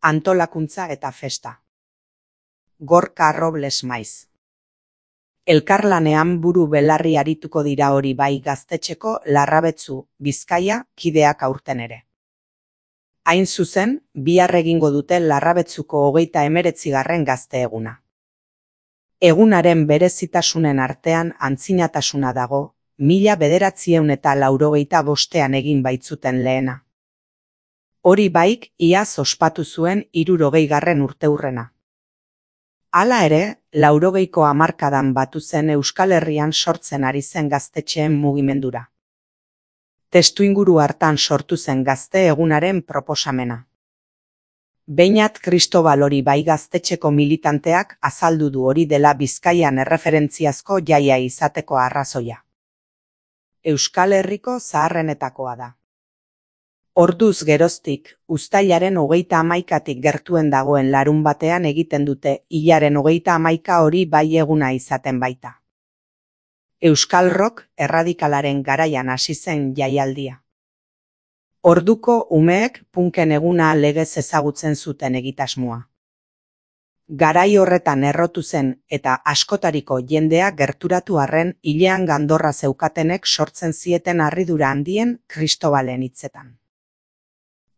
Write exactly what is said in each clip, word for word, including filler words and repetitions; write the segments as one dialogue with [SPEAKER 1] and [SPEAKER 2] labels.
[SPEAKER 1] Antolakuntza eta festa. Gorka Robles maiz. Elkarlanean buru belarri arituko dira hori bai Gaztetxeko Larrabetzu, Bizkaia, kideak aurten ere. Hain zuzen, bihar egingo dute Larrabetzuko hogeita hemeretzigarren gazte eguna. Egunaren berezitasunen artean antzinatasuna dago, mila bederatziehun eta laurogeita bostean egin baitzuten lehena. Hori baik, iaz ospatu zuen hirurogeigarren urteurrena. Hala ere, laurogeiko hamarkadan batu zen Euskal Herrian sortzen ari zen gaztetxeen mugimendura. Testuinguru hartan sortu zen gazte egunaren proposamena. Beñat Kristobal hori bai Gaztetxeko militanteak azaldu du hori dela Bizkaian erreferentziazko jaia izateko arrazoia. Euskal Herriko zaharrenetakoa da. Orduz geroztik, uztailaren hogeita hamaikatik gertuen dagoen larun batean egiten dute hilaren hogeita hamaika hori bai eguna izaten baita. Euskal rock erradikalaren garaian hasi zen jaialdia. Orduko umeek punken eguna legez ezagutzen zuten egitasmoa. Garai horretan errotu zen eta askotariko jendea gerturatu arren hilean gandorra zeukatenek sortzen zieten harridura handien Kristobalen hitzetan.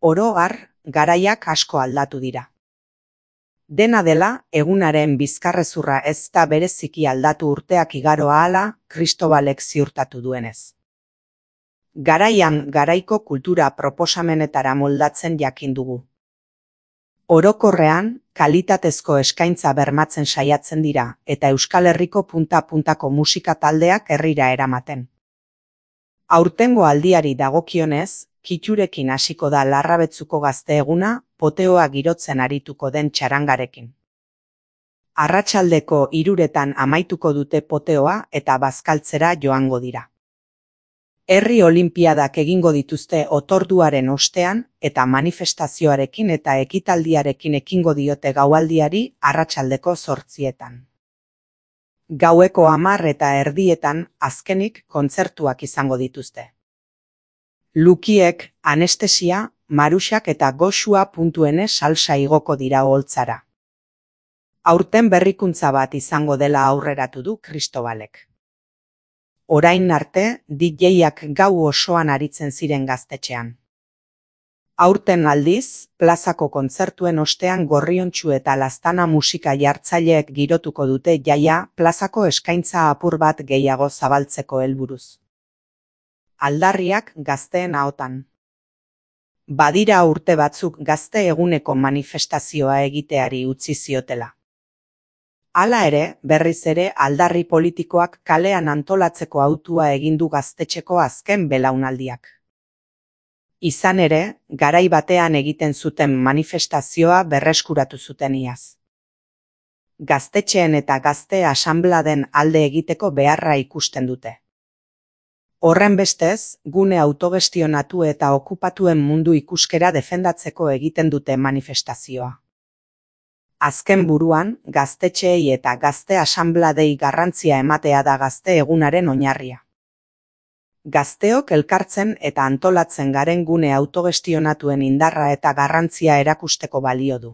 [SPEAKER 1] Oro har, garaiak asko aldatu dira. Dena dela, egunaren bizkarrezurra ez da bereziki aldatu urteak igaro ahala, Kristobalek ziurtatu duenez. Garaian garaiko kultura proposamenetara moldatzen jakin dugu. Orokorrean, kalitatezko eskaintza bermatzen saiatzen dira eta Euskal Herriko punta-puntako musika taldeak herrira eramaten. Aurtengo aldiari dagokionez, kitxurekin hasiko da Larrabetzuko gazte eguna, poteoa girotzen arituko den txarangarekin. Arratsaldeko hiruretan amaituko dute poteoa eta bazkaltzera joango dira. Herri olinpiadak egingo dituzte otorduaren ostean eta manifestazioarekin eta ekitaldiarekin ekingo diote gaualdiari arratsaldeko zortzietan. Gaueko hamar eta erdietan azkenik kontzertuak izango dituzte. Lukiek, anestesia, maruxak eta goxua puntuene salsa igoko dira oholtzara. Aurten berrikuntza bat izango dela aurreratu du Kristobalek. Orain arte, D J-ak gau osoan aritzen ziren gaztetxean. Aurten aldiz, plazako kontzertuen ostean Gorriontsu eta Laztana musika jartzaileek girotuko dute jaia plazako eskaintza apur bat gehiago zabaltzeko helburuz. Aldarriak gazteen ahotan. Badira urte batzuk gazte eguneko manifestazioa egiteari utzi ziotela. Hala ere, berriz ere aldarri politikoak kalean antolatzeko hautua egin du Gaztetxeko azken belaunaldiak. Izan ere, garai batean egiten zuten manifestazioa berreskuratu zuten iaz. Gaztetxeen eta gazte asanbladen alde egiteko beharra ikusten dute. Horren bestez, gune autogestionatu eta okupatuen mundu ikuskera defendatzeko egiten dute manifestazioa. Azken buruan, gaztetxeei eta gazte asanbladei garrantzia ematea da gazte egunaren oinarria. Gazteok elkartzen eta antolatzen garen gune autogestionatuen indarra eta garrantzia erakusteko balio du.